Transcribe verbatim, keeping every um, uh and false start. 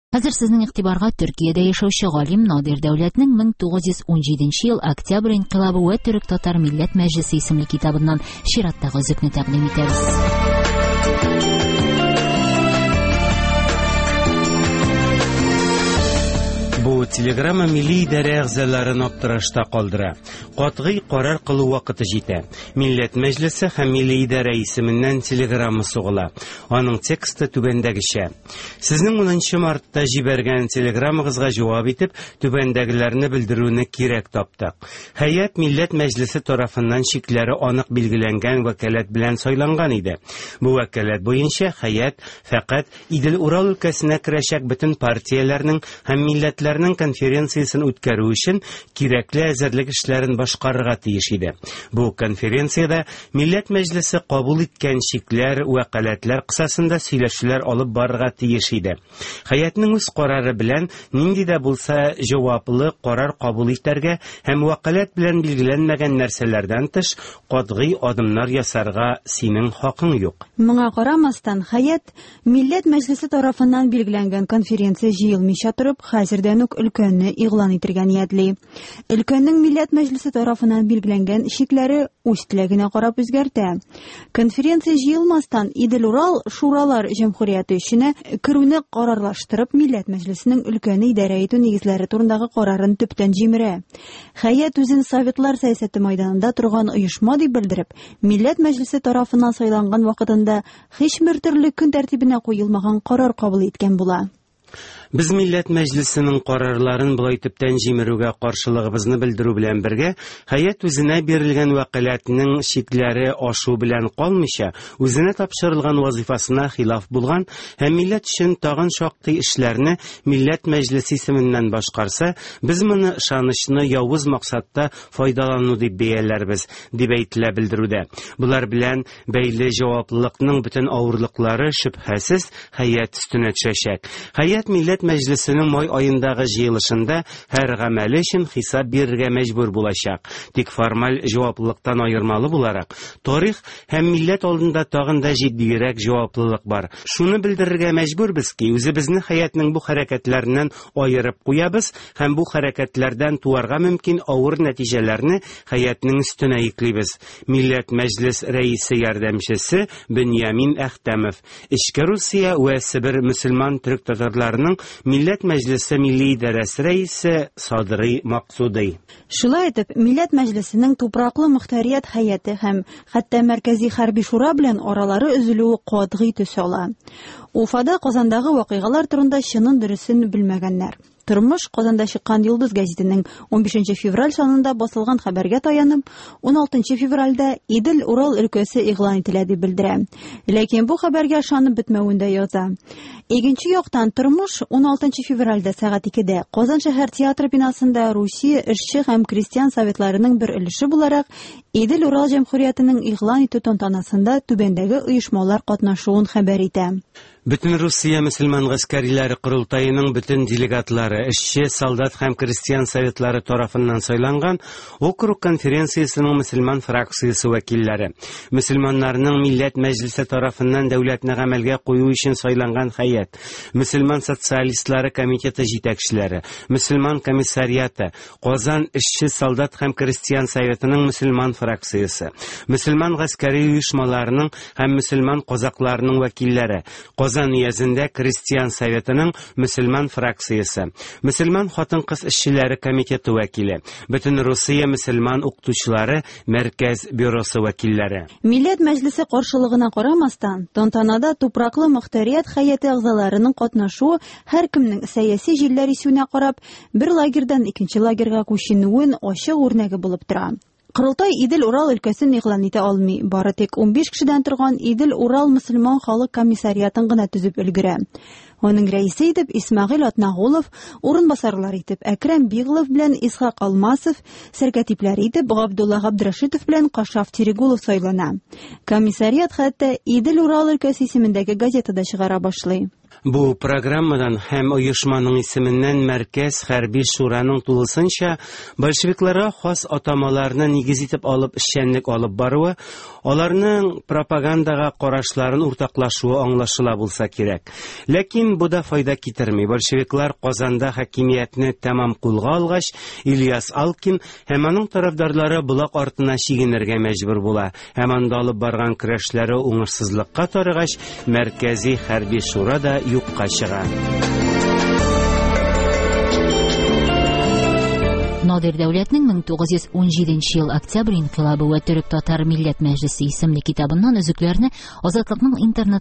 Хәзер сезнең игътибарга Төркиядә яшәүче галим Надир Дәүләтнең мең тугыз йөз унҗиденче ел Октябрь инкыйлабы вә Төрек-татар милләт мәҗлесе исемле китабыннан чираттагы өзекне тәкъдим итәбез. Бу телеграмма милли идарә әгъзаларын аптырашта калдыра. Катгый карар кылу вакыты җитә. Милләт мәҗлесе һәм милли идарә исеменнән телеграмма сугыла. Аның тексты түбәндәгечә. Сезнең унынчы мартта җибәргән телеграммагызга җавап итеп, түбәндәгеләрне белдерүне кирәк таптык. Һәйәт Милләт Мәҗлесе тарафыннан чикләре анык билгеләнгән вәкаләт белән сайланган иде. Бу вәкаләт буенча һәйәт фәкать Идел-Урал өлкәсенә керәчәк бөтен партияләрнең һәм милләтләрнең конференциясен үткәрү өчен кирәкле әзерлек эшләрен башкарырга тиеш иде. Бу конференциядә Милләт Мәҗлесе кабул иткән чикләр, вәкаләтләр кысасында сөйләшүләр алып барырга тиеш иде. Һәйәтнең үз карары белән нинди дә булса җаваплы карар кабул итәргә һәм вәкаләт белән билгеләнмәгән нәрсәләрдән тыш катгый адымнар ясарга синең хакың юк. Моңа карамастан, һәйәт Милләт Мәҗлесе тарафыннан билгеләнгән конференция җыелмыйча торып, хәзердән үк өлкәнне игълан итәргә ниятли. Өлкәннең Милләт Мәҗлесе тарафыннан билгеләнгән чикләре үз теләгенә карап үзгәртә. Конференция җыелмастан Идел-Урал Шуралар Җәмһүрияте эченә керүне карарлаштырып, Милләт Мәҗлесенең өлкәне идарә итү нигезләре турындагы карарын төптән җимерә. Һәйәт үзен Советлар сәясәте майданында торган оешма дип белдереп, Милләт Мәҗлесе тарафыннан сайланган вакытында һичбер төрле көн тәртибенә куелмаган карар кабул иткән була. Без Милләт Мәҗлесенең карарларын болай төптән җимерүгә каршылыгыбызны белдерү белән бергә, һәйәт үзенә бирелгән вәкаләтнең чикләре ашу белән калмыйча, үзенә тапшырылган вазифасына хилаф булган һәм милләт өчен тагын шактый эшләрне Милләт Мәҗлесе исеменнән башкарса, без моны ышанычны явыз максатта файдалану дип бәяләрбез, дип әйтелә белдерүдә. Булар белән бәйле җаваплылыкның бөтен авырлыклары шөбһәсез һәйәт өстенә төшәчәк. Һәйәт Милләт Мәҗлесенең май айындагы җыелышында һәр гамәле өчен хисап бирергә мәҗбүр булачак. Тик формаль җаваплылыктан аермалы буларак, тарих һәм милләт алдында тагын да җитдирәк җаваплылык бар. Шуны белдерергә мәҗбүрбез ки, үзебезне һәйәтнең бу хәрәкәтләреннән аерып куябыз һәм бу хәрәкәтләрдән туарга мөмкин авыр нәтиҗәләрне һәйәтнең өстенә йөклибез. Милләт Мәҗлес рәисе ярдәмчесе Беньямин Әхтәмов, Эчке Русия вә Себер мөселман төрек татарларының Милләт Мәҗлесе Милли идарәсе рәисе Садрый Максудый. Шулай итеп, Милләт Мәҗлесенең тупраклы мөхтәрият һәйәте һәм хәтта Мәркәзи хәрби шура белән аралары өзелүе катгый төс ала. Уфада Казандагы вакыйгалар турында чынын дөресен белмәгәннәр. Тормыш Казанда чыккан Йолдыз гәзитенең унбишенче февраль санында басылган хәбәргә таянып, уналтынчы февральдә Идел-Урал өлкәсе игълан ителә дип белдерә. Ләкин бу хәбәргә ышанып бетмәвен дә яза. Икенче яктан, Тормыш уналтынчы февральдә сәгать икедә Казан шәһәр театры бинасында Русия эшче һәм крестьян советларының бер өлеше буларак Идел-Урал җәмһүриятенең игълан итү тантанасында түбәндәге оешмалар катнашуын хәбәр итә. Бөтен Русия мөселман гаскәриләре корылтаеның бөтен делегатлары, эшче, солдат һәм крестьян советлары тарафыннан сайланган округ конференциясенең мөселман фракциясе вәкилләре, мөселманнарның Милләт Мәҗлесе тарафыннан дәүләтне гамәлгә кую өчен сайланган һәйәт, мөселман социалистлары комитеты җитәкчеләре, мөселман комиссариаты, Казан эшче, солдат һәм крестьян советының мөселман фракциясе, мөселман гаскәри оешмаларының һәм мөселман казакларының вәкилләре, Казан өязендә крестьян советының мөселман фракциясе, мөселман хатын-кыз эшчеләре комитеты вәкиле, Бөтен Русия мөселман укытучылары мәркәз бюросы вәкилләре. Милләт Мәҗлесе каршылыгына карамастан, тантанада тупраклы мөхтәрият һәйәте әгъзаларының катнашуы һәркемнең сәяси җилләр исүенә карап, бер лагерьдан икенче лагерьга күченүен ачык үрнәге булып тора. Корылтай Идел-Урал өлкәсен игълан итә алмый, бары тик унбиш кешедән торган Идел-Урал мөселман халык комиссариатын гына төзеп өлгерә. Аның рәисе итеп Исмәгыйль Атнагулов, урынбасарлар итеп Әкрәм Биглов белән Исхак Алмасов, сәркәтипләр итеп Габдулла Габдрашитов белән Кашаф Терегулов сайлана. Комиссариат хәтта Идел-Урал өлкәсе исемендәге газетада чыгара башлый. Бу программадан һәм оешманың исеменнән Мәркәз хәрби шураның тулысынча большевикларга хас атамаларны нигез итеп алып эшчәнлек алып баруы, аларның пропагандага карашларын уртаклашуы аңлашыла булса кирәк. Ләкин Ләкин бу да файда китерми. Большевиклар Казанда хакимиятне тәмам кулга алгач, Ильяс Алкин һәм аның тарафдарлары Болак артына чигенергә мәҗбүр була. Һәм анда алып барган көрәшләре уңышсызлыкка тарыгач, Мәркәзи хәрби шура да юкка чыга. Надир Дәүләтнең мең тугыз йөз унҗиденче ел октябрь инкыйлабы вә төрек-татар милләт мәҗлесе исемле китабыннан өзекләрне Азатлыкның интернет